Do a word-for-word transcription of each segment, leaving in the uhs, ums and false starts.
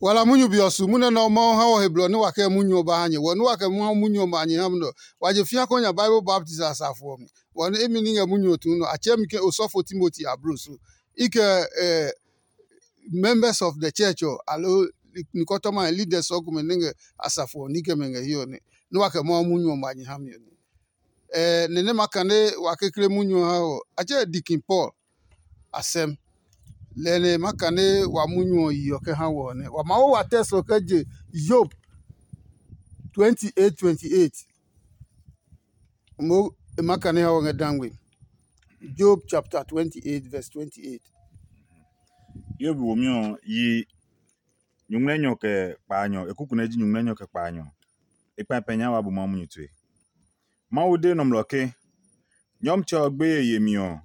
Wala munyu be ɔ su munyu nɛ Mawu ha wɔ he blɔ nɛ wa kɛ munyu ɔ ba ha nyɛ. Wɔ nɛ wa kɛ Mawu munyu ɔ ma nyɛ ha mi nɛ ɔ, wa je fĩa kɔ nya Bible baptism asafo ɔ mi. Wɔ nɛ imi ní ngɛ munyu ɔ tuu nɔ, a tsɛɛ mi ke osɔfo Timoti ablo so. I kɛ eh, members of the church ɔ, aloo nikɔtɔma leaders ɔ komɛ nɛ ngɛ asafo ɔ ní kɛ mɛ ngɛ hiɛ ɔ nɛ, nɛ wa kɛ Mawu munyu ɔ ma nyɛ ha mi ɔ nɛ. Ɛɛ nɛ nɛ ma kane wa kekle munyu ɔ ha ɔ, a tsɛ Deacon Paul asɛm. Lɛ nɛ ma kane wa munyu ɔ yi ɔ kɛ ha wɔ ɔ nɛ wa ma wo wa tɛ sɔ kɛ je Yob twenty eight twenty eight. Mo e ma kane ha wɔ ngɛ dangbe. Job chapter twenty eight verse twenty eight. Yob womi ɔ yi nyuŋmlɛnyɔ kɛ kpaanyɔ, e kuku nɛ ji nyuŋmlɛnyɔ kɛ kpaanyɔ. E kpɛpɛ nya wa bu Mawu munyu tue. Mawu de nɔmlɔ ke, Nyɔmtsɛ ɔ gbeye yemi ɔ,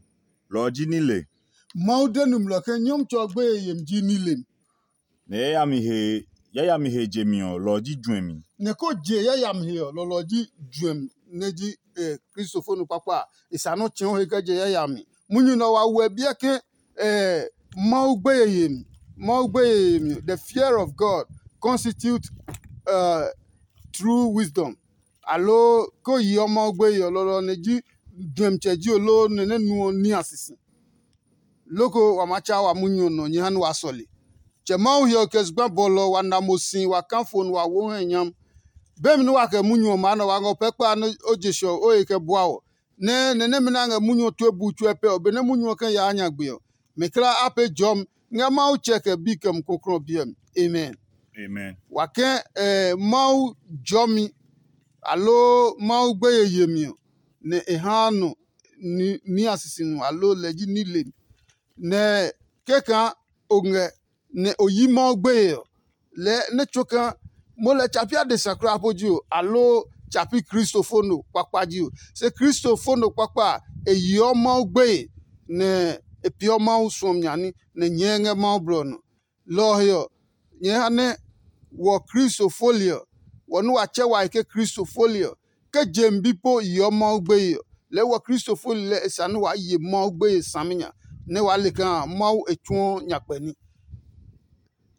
lɔ ɔ ji nile. Mawu de nɔmlɔ ke Nyɔmtsɛ ɔ gbeye yemi ji nilem. Nɛ yayami he yayami he jemi ɔ, lɔ ɔ ji juɛmi. Nɛ ko je yayami he ɔ, lɔlɔ ji juɛmi nɛ ji eh, kristofo nɔ kpakpa a, e sa nɔ́ tsɛ̃ɔ he kɛ je yayami. Munyu nɛ wa wuɛ biɛ ke eh, Mawu gbeye yemi. Mawu gbeye yemi. The fear of God constitute uh, true wisdom. Aloo ko yeɔ Mawu gbeye ɔ, lɔlɔ nɛ ji juɛmi tsɛ ji oloo nɛ nɛ nuɔ ní a sisi. Loko wa maa tsa wa munyu ɔ nɔ nyɛ ha nɛ waa sɔle. Tsɛ Mawu hiɔ kɛ zugba bɔlɔ wa na mo si wa kã fo nɛ wa wo hɛ nyam. Bemi nɛ wa kɛ munyu ɔ maa nɛ wa ngɔ pɛkpa nɛ o je sɔ o he kɛ bua ɔ, nɛ nɛ nɛmɛ nɛ a ngɛ munyu ɔ tue bu tsuɛ pɛ ɔ, benɛ munyu ɔ kɛ yaa nyagbe ɔ, mɛ kla a pee jɔmi ngɛ Mawu tsɛ kɛ bi kɛ Mumi Klɔuklɔu ɔ biɛ mi. Amen. Amen. Wa kɛ eh, Mawu jɔmi aloo Mawu gbeye yemi ɔ, nɛ e haa nɔ ni a sisi nu aloo lɛ ji nilemi. Nɛ kɛkaa o ngɛ nɛ o yi Mawu gbeye ɔ, lɛɛ nɛ tsuo kaa mo lɛ tsa pi adesa kulaa po ji o, aloo tsa pi kristofo no kpakpa ji o. Se kristofo no kpakpa a, e yeɔ Mawu gbeye, nɛ e peeɔ Mawu suɔmi nya ní, nɛ nyɛɛ ngɛ Mawu blɔ ɔ nɔ. Lɔ ɔ he ɔ, nyɛɛ ha nɛ wɔ Kristo foli ɔ, wɔ nɛ wa tsɛ wa he ke Kristo foli ɔ, ke je mi bi po yeɔ Mawu gbeye ɔ, lɛɛ wɔ Kristo foli lɛ e sa nɛ waa ye Mawu gbeye saminya, nɛ waa le kaa Mawu e tsuɔ nyakpɛ ní.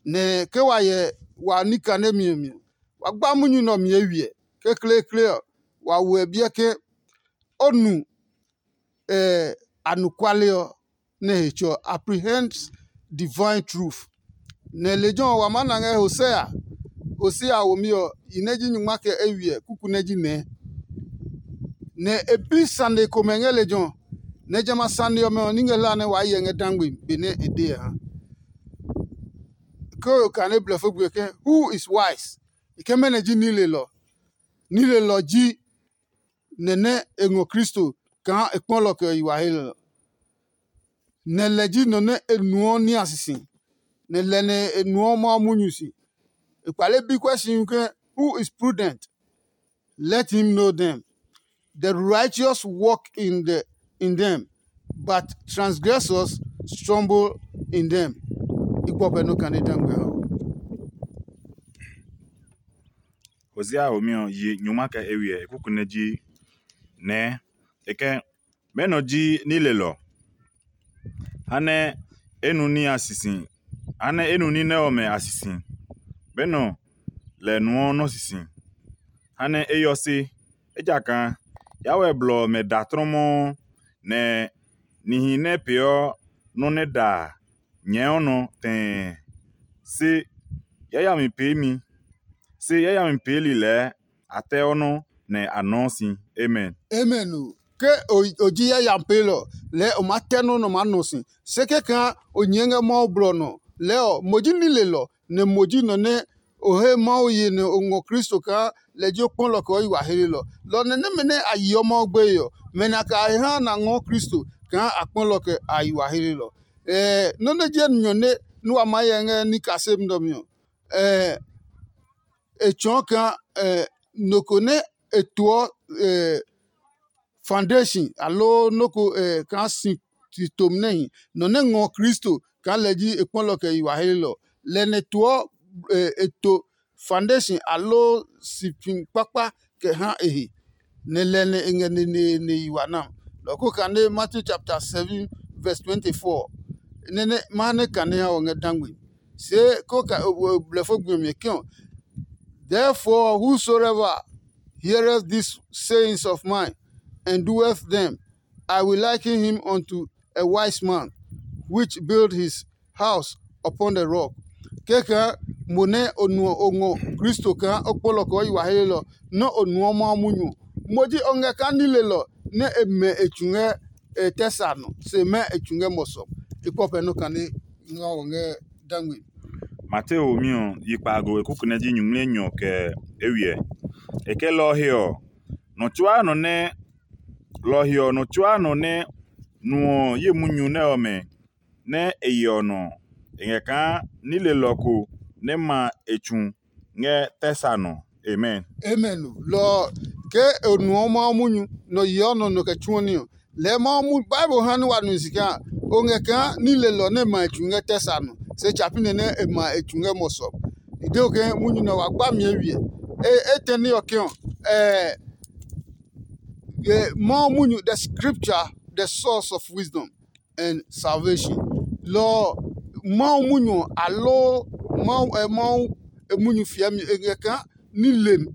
Nɛ ke wa hyɛ wa ní kanemi ɔ mi ɔ, wa gba munyu nɛ ɔ mi eywiɛ. Kekleekle ɔ, wa wo ɛ biɛ ke o nu anɔkuale ɔ nɛ he tsɔ apprehends divine truth. Nɛ lejɛ ɔ wa maa na ngɛ Hosea. Hosea womi ɔ, yi nɛ ji nyungma kɛ eywiɛ kuku nɛ ji nɛɛ. Nɛ e bi sane komɛ ngɛ lejɛ ɔ, nɛ jamɛ a sane ɔmɛ ɔ ní ngɛ hlaa nɛ waa hyɛ ngɛ dangbe benɛ e de ɔ ha. Ke o kane blɛfo gbe ke, who is wise? E ke mɛnɔ ji nilelɔ? Nilelɔ ji nɛ nɛ e ngɔ Kristo kaa e kpɔlɔ kɛ yi wa he lɛ ɔ. Nɛ lɛ ji nɔ nɛ e nuɔ ní a sisi, nɛ lɛ nɛ e nuɔ Mawu munyu si. E kpale bi kuɛ si ke, who is prudent? Let him know them. The righteous walk in the in them, but transgressors stumble in them. I gbɔ pɛ nɔ kane dangbe ɔ. Hosea homi ɔ yi nyuma kɛ eywiɛ e kuku nɛ ji nɛɛ e kɛ, mɛnɔ ji nilelɔ? Ha nɛ e nu ní a sisi, ha nɛ e nu ní nɛ ɔmɛ a sisi. Mɛnɔ lɛ nuɔ nɔ́ sisi? Ha nɛ e yɔ se, ejakaa yawɛ blɔ ɔmɛ da tlɔmɔɔ, nɛ nihi nɛ peeɔ nɔ́ nɛ da a nyɛɛɔ nɔ tɛɛ. Se yayami peemi, se yayami peeli lɛɛ a tɛɔ nɔ́ nɛ a nɔɔ si. Amen. Amen o. Ke o ji yayami peelɔ, lɛɛ o maa tɛ nɔ́ nɛ o maa nɔ si. Se kɛkaa o nyɛɛ ngɛ Mawu blɔ nɔ, lɛɛ ɔ, mo ji nilelɔ, nɛ mo ji nɔ nɛ o he Mawu ye nɛ o ngɔ Kristo kaa lɛ ji o kpɔlɔ kɛ o yi wa helelɔ. Lɔ nɛ nɛmɛ nɛ a yeɔ Mawu gbeye ɔ, mɛ nɛ a kɛ a he ha nɛ a ngɔɔ Kristo kaa a kpɔlɔ kɛ a yi wa helelɔ. Ɛɛ nɔ́ nɛ ji enyɔ nɛ nɛ wa maa hyɛ ngɛ ní kaseli nɛ ɔ mi ɔ, ɛɛ e tsɔɔ kaa ɛɛ nɔ ko nɛ e toɔ ɛɛ foundation aloo nɔ́ ko ɛɛ kaa si tomi nɛ hi, nɔ nɛ ngɔ Kristo kaa lɛ ji e kpɔlɔ kɛ yi wa helelɔ. Lɛ nɛ toɔ ɛɛ e to foundation aloo si pi kpakpa kɛ ha e he, nɛ lɛ nɛ e ngɛ neneene yi wa na. Lɔ ko kane Matthew chapter seven verse twenty-four. Nɛ nɛ ma nɛ kane ha ɔ ngɛ dangbe. See ko ka blɛfo gbi ɔ mi ke ɔ, "Therefore, whosoever heareth these sayings of mine and doeth them, I will liken him unto a wise man, which built his house upon the rock." Kɛkɛ mo nɛ o nuɔ o ngɔ Kristo kaa o kpɔlɔ kɛ o yi wa helelɔ nɛ o nuɔ Mawu munyu ɔ, mo ji o ngɛ kaa nilelɔ nɛ e mɛ e tsu ngɛ e tɛ sa nɔ, se mɛ e tsu ngɛ mɔsɔ. I kpɔ pɛ nɔ kane nga wɔ ngɛ dangme. Mateo mi ɔ, yi kpaago e kuku nɛ ji nyuŋmli enyɔ kɛ eywiɛ. E kɛ lɔ ɔ he ɔ, nɔ tsuaa nɔ nɛ lɔ ɔ he ɔ, nɔ tsuaa nɔ nɛ nuɔ ye munyu nɛ ɔmɛ nɛ e yeɔ nɔ ɔ, e ngɛ kaa nilelɔ ko nɛ ma e tsu ngɛ tɛ sa nɔ. Amen. Amen o. Lɔ ɔ, ke o nuɔ Mawu munyu nɔ yeɔ nɔ nɔ kɛ tsuɔ ní ɔ, lɛɛ Mawu mu Bible ha nɛ wa nu si kaa o ngɛ kaa nilelɔ nɛ ma e tsu ngɛ tɛ sa nɔ, se tsa pi nɛ nɛ e ma e tsu ngɛ mɔsɔ. I de o ke munyu nɛ wa gba mi ewiɛ. E etɛ ní ɔ ke ɔ, eh, Mawu munyu, the scripture, the source of wisdom and salvation. Lɔ ɔ, Mawu munyu ɔ, aloo Mawu ɛ Mawu e munyu fiɛmi e ngɛ kaa nilem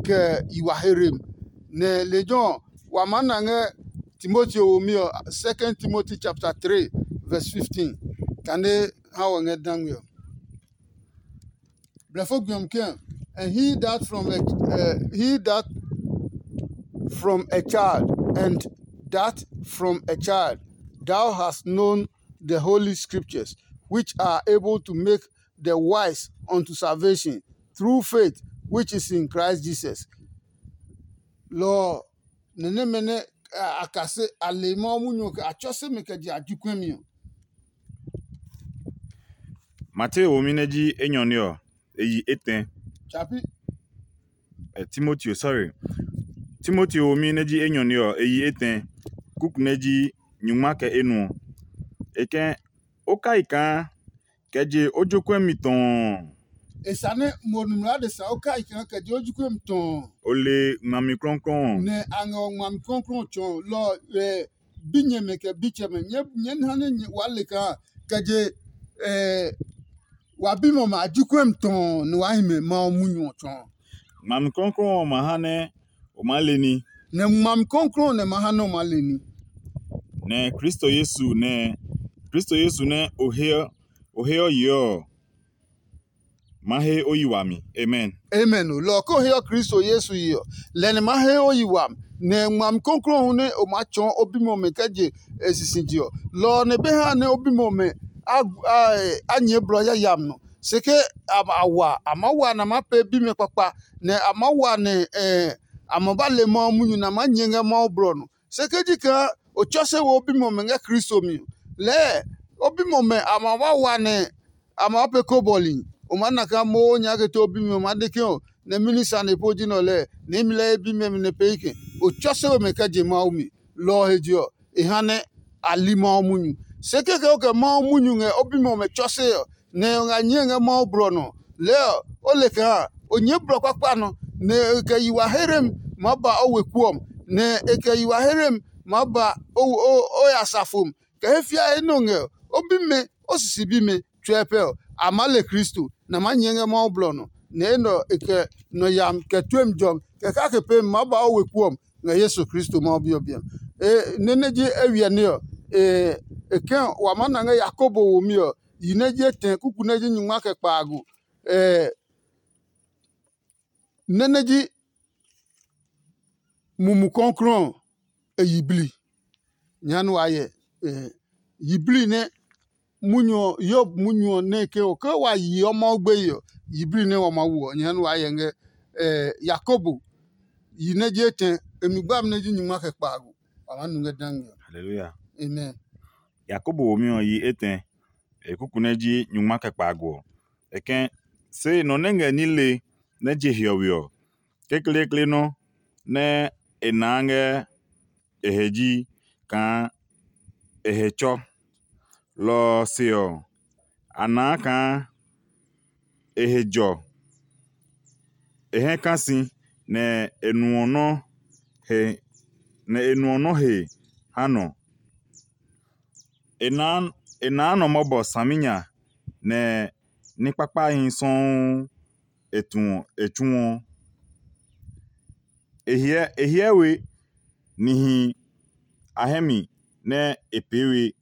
kɛ yi wa herem. Nɛ lejɛ ɔ, wa maa na ngɛ Timoteo womi ɔ, Second Timothy chapter three verse fifteen. Kane ha wɔ ngɛ dangwe ɔ. Blɛfo gbiɔmi ke, and he that from a uh, he that from a child, and that from a child thou hast known the holy scriptures, which are able to make the wise unto salvation through faith which is in Christ Jesus. Lɔ ɔ, nɛ nɛmɛ nɛ a kase a le Mawu munyu ɔ kɛ a tsɔ se mi kɛ je a ji kuɛmi ɔ. Mateo womi nɛ ji enyɔ ní ɔ, e yi etɛ. Tsapi. Eh, Timoteo, sorry. Timoteo womi nɛ ji enyɔ ní ɔ, e yi etɛ. Kuku nɛ ji nyungma kɛ enuɔ. E kɛ o kai kaa kɛ je o jokuɛ mi tɔɔ. E sa nɛ mo nimla adesa o kai kaa kɛ je o jokuɛ mi tɔɔ. O le ngmami klɔuklɔu ɔ. Nɛ a ngɛ o ngmami klɔuklɔu tsɔɔ lɔ ɔ, binyɛmɛ kɛ bitsɛmɛ, nyɛɛ ha nɛ waa le kaa kɛ je wa bimɛ ɔmɛ a ji kuɛmi tɔɔ nɛ waa hi mɛ Mawu munyu ɔ tsɔɔ. Ngmami klɔuklɔu ɔ ma ha nɛ o maa le ní. Nɛ ngmami klɔuklɔu ɔ nɛ ma ha nɛ o maa le ní. Nɛ Kristo Yesu nɛ Kristo Yesu nɛ o he o he ɔ yeɔ ɔ, ma he o yi wami. Amen. Amen o. Lɔ ɔ ko heɔ Kristo Yesu yi ɔ, lɛ nɛ ma he o yi wami, nɛ ngmami kɔklɔɔ hu nɛ o maa tsɔɔ o bimɛ ɔmɛ kɛ je e sisije ɔ, lɔ ɔ nɛ be ha nɛ o bimɛ ɔmɛ a a nyɛɛ blɔ yayami nɔ. Se ke a a wa, a maa wa nɛ a maa pee bimɛ kpakpa, nɛ a maa wa nɛ a ma ba le Mawu munyu nɛ a maa nyɛɛ ngɛ Mawu blɔ ɔ nɔ. Se ke ji kaa o tsɔ se we o bimɛ ɔmɛ ngɛ Kristo mi ɔ, lɛɛ o bimɛ ɔmɛ a ma ba wa nɛ a maa pee kobɔli. O maa na kaa mo o nyɛɛ kɛ te o bimɛ ɔ maa de ke ɔ nɛ mɛni sane po ji nɛ ɔ lɛɛ, nɛ imi lɛɛ ye bimɛ mi nɛ pee kɛ. O tsɔ se we mɛ kɛ je Mawu mi. Lɔ ɔ he je ɔ, e ha nɛ a li Mawu munyu. Se kɛkɛ o kɛ Mawu munyu ngɛ o bimɛ ɔmɛ tsɔ se ɔ, nɛ o ngɛ nyɛɛ ngɛ Mawu blɔ nɔ. Lɛɛ ɔ, o le kaa o nyɛɛ blɔ kpakpa nɔ, nɛ e kɛ yi wa herem maa ba o weku ɔ mi, nɛ e kɛ yi wa herem maa ba o o o ya safo mi. Kɛ he fiae nɛ o ngɛ ɔ, o bimɛ, o sisi bimɛ, tsɔɛ pɛ ɔ, a maa le Kristo, nɛ a maa nyɛɛ ngɛ Mawu blɔ nɔ, nɛ enɛ ɔ e kɛ nɔ yami kɛ tuemi jɔmi, kɛ kake peemi maa ba o weku ɔ mi ngɛ Yesu Kristo Mawu Bi ɔ biɛ mi. E nɛ nɛ ji ewiɛ ní ɔ, e e kɛ wa maa na ngɛ Yakobo womi ɔ, yi nɛ ji etɛ kuku nɛ ji nyungma kɛ kpaago. E nɛ nɛ ji Mumi Klɔuklɔu ɔ, e yiblii. Nyɛɛ nɛ wa hyɛ yiblii nɛ munyu ɔ, Yob munyu ɔ nɛ ke ɔ, ke wa yeɔ Mawu gbeye ɔ, yiblii nɛ wa maa wo ɔ, nyɛɛ nɛ wa hyɛ ngɛ Yakobo yi nɛ ji etɛ, e mi gbami nɛ ji nyungma kɛ kpaago. Wa maa nu ngɛ dangme ɔ. Haleluya. Amen. Yakobo womi ɔ yi etɛ, e kuku nɛ ji nyungma kɛ kpaago ɔ. E kɛ̃, se nɔ nɛ ngɛ nile nɛ je hiɔwe ɔ, kekleekle nɔ́ nɛ e naa ngɛ e he ji kaa e he tsɔ. Lɔ ɔ se ɔ, a naa kaa e he jɔ, e hɛ ka si, nɛ e nuɔ nɔ́ he, nɛ e nuɔ nɔ́ he ha nɔ. E naa e naa nɔ mɔbɔ saminya, nɛ ní kpakpahi sɔuu e tuɔ e tsuɔ. E hyɛ e hyɛ we nihi a hɛ mi nɛ e pee we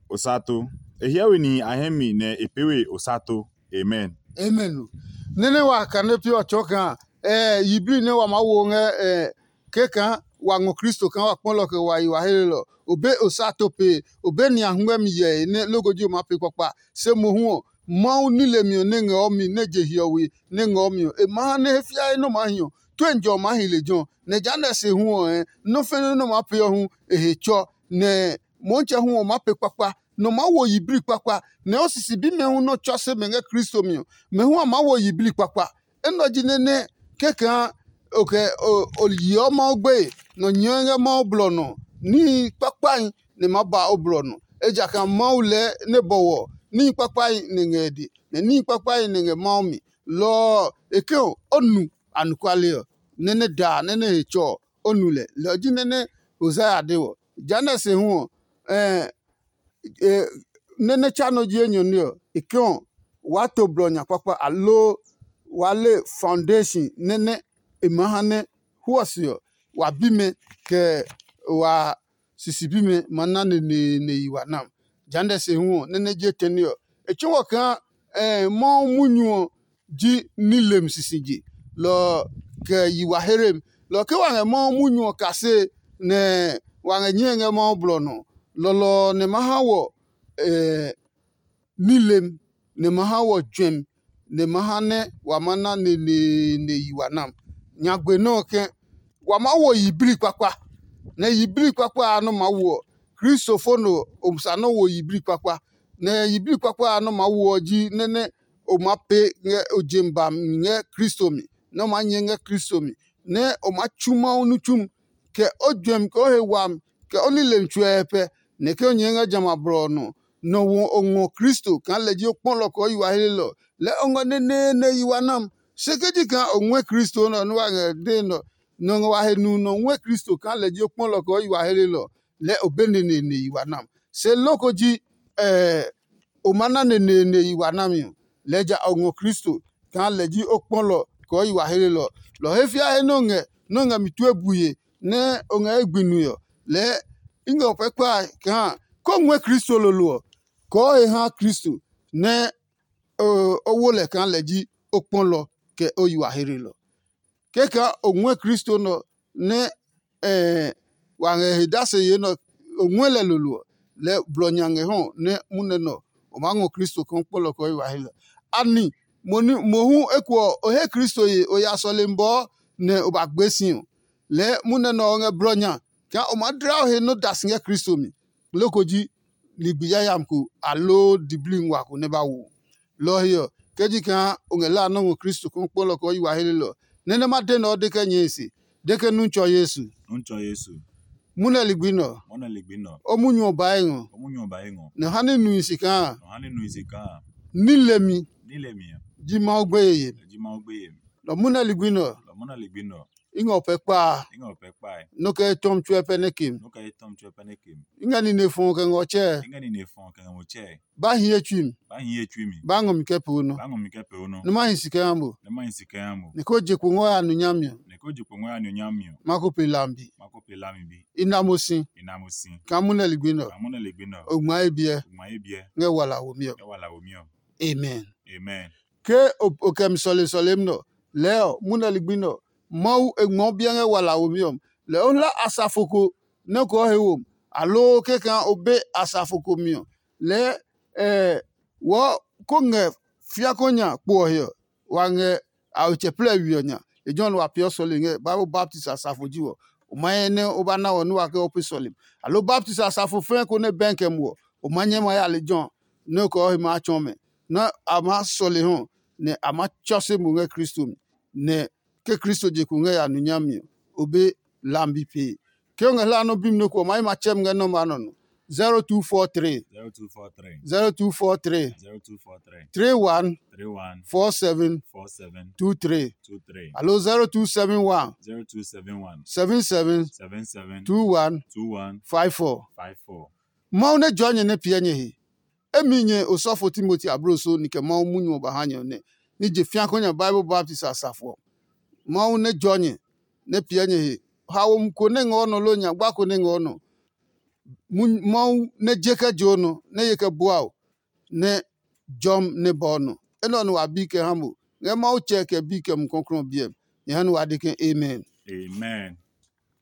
osato. E hyɛ we nihi a hɛ mi nɛ e pee we osato. Amen. Amen. Nene wa kane pi ɔ tsɔɔ kaa eh, yiblii nɛ wa maa wo ngɛ eh, ke kaa wa ngɔ Kristo kaa wa kpɔlɔ kɛ wa yi wa helelɔ. O be osato pee, o be nia hungmɛmi yɛe nɛ loko ji o maa pee kpakpa. Se mohu ɔ, Mawu nilemi ɔ nɛ ngɛ ɔ mi nɛ je hiɔwe nɛ ngɛ ɔ mi ɔ, e maa ha nɛ he fiae nɔ maa hi ɔ, tue njɔ ɔ maa hi lejɛ ɔ. Nɛ jehanɛ se hu ɔ, nɔ́ fɛnɛ nɔ maa pee ɔ hu e he tsɔ, nɛ Mɔɔtsɛ hu ɔ maa pee kpakpa, nɔ maa wo yiblii kpakpa, nɛ o sisi bimɛ hu nɔ tsɔ se mɛ ngɛ Kristo mi ɔ, mɛ hu a maa wo yiblii kpakpa. Enɛ ɔ ji nɛ nɛ kɛkaa o kɛ o yeɔ Mawu gbeye, nɔ nyɛɛ ngɛ Mawu blɔ nɔ, níhi kpakpahi nɛ ma ba o blɔ nɔ. Ejakaa Mawu lɛɛ nɛ bɔwɔ níhi kpakpahi nɛ ngɛ e de, nɛ níhi kpakpahi nɛ ngɛ Mawu mi. Lɔ ɔ, e ke ɔ, o nu anɔkuale ɔ, nɛ nɛ daa nɛ nɛ he tsɔ ɔ, o nu lɛ. Lɔ ɔ ji nɛ nɛ Hosea de ɔ. Jehanɛ se hu ɔ, nɛ nɛ tsa nɔ ji enyɔ ní ɔ, e ke ɔ, waa to blɔ nya kpakpa, aloo waa le foundation nɛ nɛ e maa ha nɛ huɔ se ɔ, wa bimɛ kɛ wa sisi bimɛ ma na neneene yi wa nam. Jehanɛ se hu ɔ, nɛ nɛ ji etɛne ɔ, e tsuo kaa Mawu munyu ɔ ji nilem sisije, lɔ ɔ kɛ yi wa herem. Lɔ ɔ ke wa ngɛ Mawu munyu ɔ kase, nɛ wa ngɛ nyɛe ngɛ Mawu blɔ nɔ, lɔlɔ ɔ nɛ ma ha wɔ nilem, nɛ ma ha wɔ juɛmi, nɛ ma ha nɛ wa ma na neneene yi wa nam. Nyagbe nɔ́ ɔ ke, wa maa wo yiblii kpakpa, nɛ yiblii kpakpa a nɔ́ maa wo ɔ, Kristo fo nɔ o sa nɔ́ wo yiblii kpakpa. Nɛ yiblii kpakpa a nɔ́ maa wo ɔ ji nɛ nɛ o maa pee ngɛ o jem ba mi ngɛ Kristo mi, nɛ o maa nyɛ ngɛ Kristo mi, nɛ o maa tsu Mawu nitsumi, kɛ o juɛmi, kɛ o he wami, kɛ o nilemi tsuɛ pɛ, nɛ ke o nyɛɛ ngɛ jamɛ a blɔ ɔ nɔ. Nɔ wo o ngɔ Kristo kaa lɛ ji o kpɔlɔ kɛ o yi wa helelɔ, lɛɛ o ngɔ neneene yi wa nam. Se ke ji kaa o ngɔɛ Kristo nɛ ɔ nɛ wa ngɛ dee nɛ ɔ, nɔ ngɛ wa he nu nɔ ngɔɛ Kristo kaa lɛ ji o kpɔlɔ kɛ o yi wa helelɔ, lɛɛ o be neneene yi wa nam. Se loko ji o ma na neneene yi wa nami ɔ, lɛɛ ja o ngɔ Kristo kaa lɛ ji o kpɔlɔ kɛ o yi wa helelɔ. Lɔ ɔ he fiae nɛ o ngɛ nɛ o ngɛ mi tue bue nɛ o ngɛ ye gbi nue ɔ, lɛɛ i ngɛ o pɛ kpae kaa ko ngɔɛ Kristo lolo ɔ, kɔɔ he ha Kristo nɛ o wo lɛ kaa lɛ ji o kpɔlɔ kɛ o yi wa helelɔ. Kɛkaa o ngɔɛ Kristo nɛ ɔ nɛ wa ngɛ he dase yee nɛ o ngɔɛ lɛ lolo ɔ, lɛɛ blɔ nya ngɛ hɔ nɛ munɛ nɛ ɔ, o maa ngɔ Kristo kaa o kpɔlɔ kɛ o yi wa helɔ. Ani mohu eko ɔ, o he Kristo ye o ya sɔlemi bɔɔ nɛ o ba gbee si ɔ? Lɛɛ munɛ nɛ ɔ ngɛ blɔ nya kaa o maa dla o he nɔ́ da si ngɛ Kristo mi. Loko ji ligbi yayami ko aloo diblii nguaa ko nɛ ba wo. Lɔ ɔ he ɔ, ke ji kaa o ngɛ la nɔ́ ngɔ Kristo kaa o kpɔlɔ kɛ o yi wa helelɔ ɔ, nɛ nɛ ma de nɛ ɔ de kɛ nyɛe se, de ke nu tsɔ Yesu. Nu tsɔ Yesu. Munɛ ligbi nɛ ɔ, Mɔnɛ ligbi nɔ. O munyu ɔ bae ngɔ. O munyu ɔ ba ye ngɔ. Nɛ ha nɛ nui si kaa Nɔ ha ne nui se kaa. Ní lemi Ní lɛ mi a. Ji Mawu gbeye yemi. Ji Mawu gbeye mi. Nɔ munɛ ligbi nɛ ɔ, Lɔ mɔnɛ ligbi nɔ. I ngɛ o pɛ kpaa. I ngɛ o pɛ kpae. Nɔ kɛ etɔmi tsuɛ pɛ nɛ kem. Nɔ kɛ etɔmi tsuɛ pɛ nɛ kem. I ngɛ nine fɔɔ kɛ ngɔ tsɛɛ. I ngɛ nine fɔɔ kɛ ngɛ mo tsɛe. Ba hi ye tsui mi. Ba hi ye tsui mi. Ba ngɔ mi kɛ poo nɔ. Ba ngɔ mi kɛ pee o nɔ. Nɛ ma hi si kɛ ha mo. Nɛ ma hi si kɛ ha mo. Nɛ ko je kpo ngɔ ya nu nyami ɔ. Nɛ ko je kpo ngɔ ya nu nyami ɔ. Ma ko pe lambi. Ma ko pe lami bi. I na mo si. I na mo si. Ka munɛ ligbi nɔ. Ka munɛ ligbi nɔ. O ngma ye biɛ. O ngma ye biɛ. Ngɛ wala wo mi ɔ. Ngɛ wala wo mi ɔ. Amen. Amen. Ke o kɛ mi sɔle sɔlemi nɔ, lɛɛ ɔ, munɛ ligbi nɔ, Mawu e ngmɔ biɛ ngɛ wala womi ɔ. Lɛɛ o hla asafo ko nɛ ko he wo mi, aloo kɛkaa o be asafo ko mi ɔ, lɛɛ wɔɔ ko ngɛ fiako nya kpo ɔ he ɔ, wa ngɛ a otsɛ plɛ we ɔ nya. Lejɛ ɔ nɛ wa peeɔ sɔle ngɛ Bible baptisi asafo ji wɔ. O ma nyɛ nɛ o ba na wɔ nɛ wa kɛ o pee sɔlemi. Aloo baptisi asafo fɛɛ ko nɛ bɛn kɛ muɔ ɔ, o ma nyɛ ma ya lejɛ ɔ nɛ o kɛ o he maa tsɔɔ mɛ, nɛ a maa sɔle hɔ, nɛ a maa tsɔ se mo ngɛ Kristo mi, nɛ ke Kristo je kpo ngɛ ya nu nyami ɔ, o be lambi pee. Ke o ngɛ hlaa nɔ́ bimi nɔ́ ko ɔ, o ma yi ma tsɛ mi ngɛ nɔ́ maa nɔ nɔ. zero two four three zero two four three zero two four three zero two four three three one three one four seven four seven two three two three alo zero two seven one zero two seven one seven seven seven seven two one two one five four. Five four. Mawu nɛ jɔɔ nyɛ nɛ piɛ nyɛ he. Emi nyɛ osɔfo Timoti abloso ni kɛ Mawu munyu ɔ ba ha nyɛ ɔ nɛ, ni je fĩa kɔ nya Bible baptist a safo ɔ. Mawu nɛ jɔ nyɛ, nɛ piɛ nyɛ he. Haomi ko nɛ ngɔ nɔ loo nyagba ko nɛ ngɔ nɔ, Mawu nɛ je kɛ je o nɔ, nɛ ye kɛ bua o, nɛ jɔm nɛ ba o nɔ. Enɛ ɔ nɛ wa bi kɛ ha mo ngɛ Mawu Tsɛ kɛ Bi kɛ Mumi Klɔuklɔu ɔ biɛ mi. Nyɛ ha nɛ wa de ke, Amen. Amen.